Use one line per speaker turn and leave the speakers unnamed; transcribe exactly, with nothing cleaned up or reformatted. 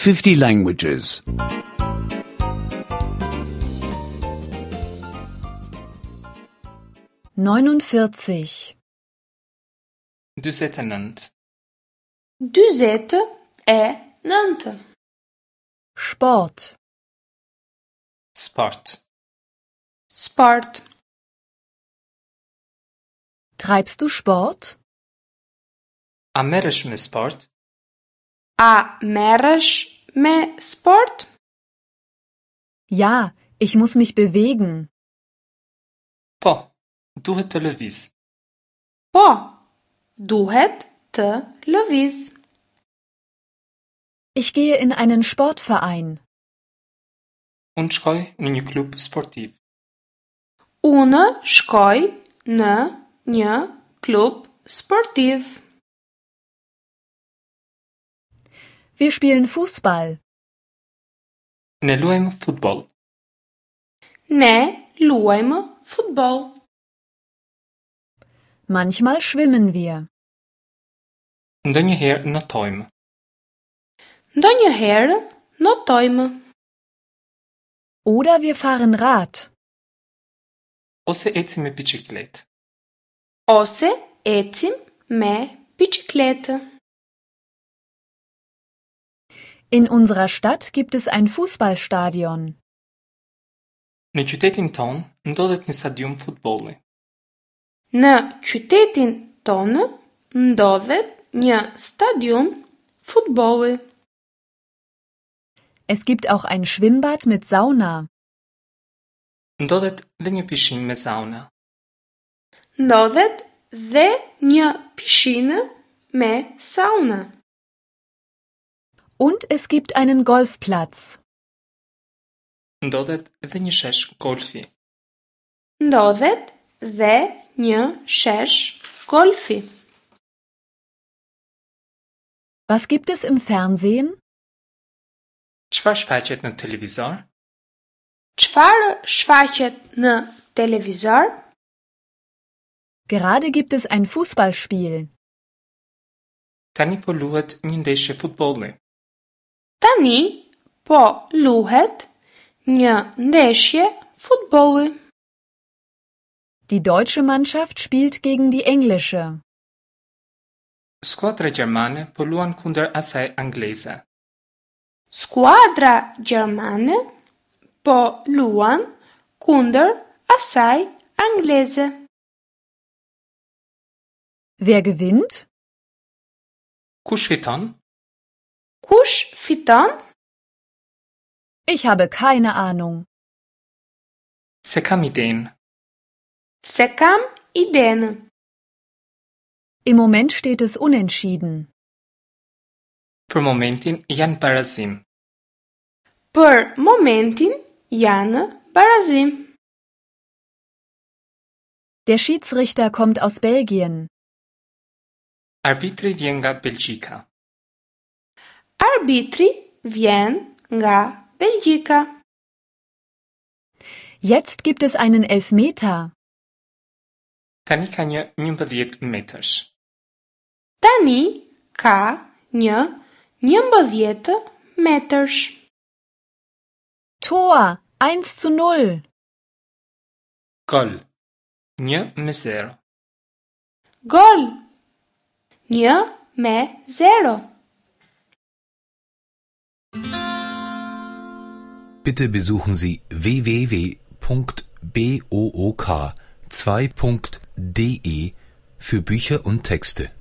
fifty languages.
neunundvierzig
dyzet e nëntë.
Dyzet e nëntë.
Sport.
Sport.
Sport.
Treibst du Sport?
A merresh me sport?
A merresh me sport?
Ja, ich muss mich bewegen.
Po, duhet të lëviz.
Po, duhet të lëviz.
Ich gehe in einen Sportverein.
Unë shkoj në një klub sportiv.
Unë shkoj në një klub sportiv.
Wir spielen Fußball.
Ne luajmë futboll.
Ne luajmë futboll.
Manchmal schwimmen wir.
Ndonjëherë notojmë.
Ndonjëherë notojmë.
Oder wir fahren Rad.
Ose ecim me biçikletë.
Ose ecim me biçikletë.
In unserer Stadt gibt es ein Fußballstadion.
Në qytetin tonë ndodhet një stadium futbolli.
Në qytetin tonë ndodhet një stadium futbolli.
Es gibt auch ein Schwimmbad mit Sauna.
Ndodhet dhe një pishinë me sauna.
Ndodhet dhe një pishinë me sauna.
Und es gibt einen Golfplatz.
Ndodhet dhe një shesh golfi.
Ndodhet dhe një shesh golfi.
Was gibt es im Fernsehen?
Çfarë shfaqet në televizor?
Çfarë shfaqet në televizor?
Gerade gibt es ein Fußballspiel.
Tani po luhet një ndeshje futbolli.
Tani po luhet një ndeshje futbolli.
Die deutsche Mannschaft spielt gegen die englische.
Skuadra gjermane po luan kundër asaj angleze.
Skuadra gjermane po luan kundër asaj angleze.
Wer gewinnt?
Kush fiton?
Kush fiton?
Ich habe keine Ahnung.
S'e kam idenë.
S'e kam idenë.
Im Moment steht es unentschieden.
Për momentin janë barazim.
Për momentin janë barazim.
Der Schiedsrichter kommt aus Belgien.
Arbitri vjen nga Belgjika.
Arbitri vjen nga Belgjika.
Jetzt gibt es einen Elfmeter.
Tani ka një njëmbëdhjetë metërsh.
Tani ka një njëmbëdhjetë metërsh.
Tor, eins zu null.
Gol. Një me zero.
Gol. Një me zero.
Bitte besuchen Sie w w w punkt b o o k zwei punkt d e für Bücher und Texte.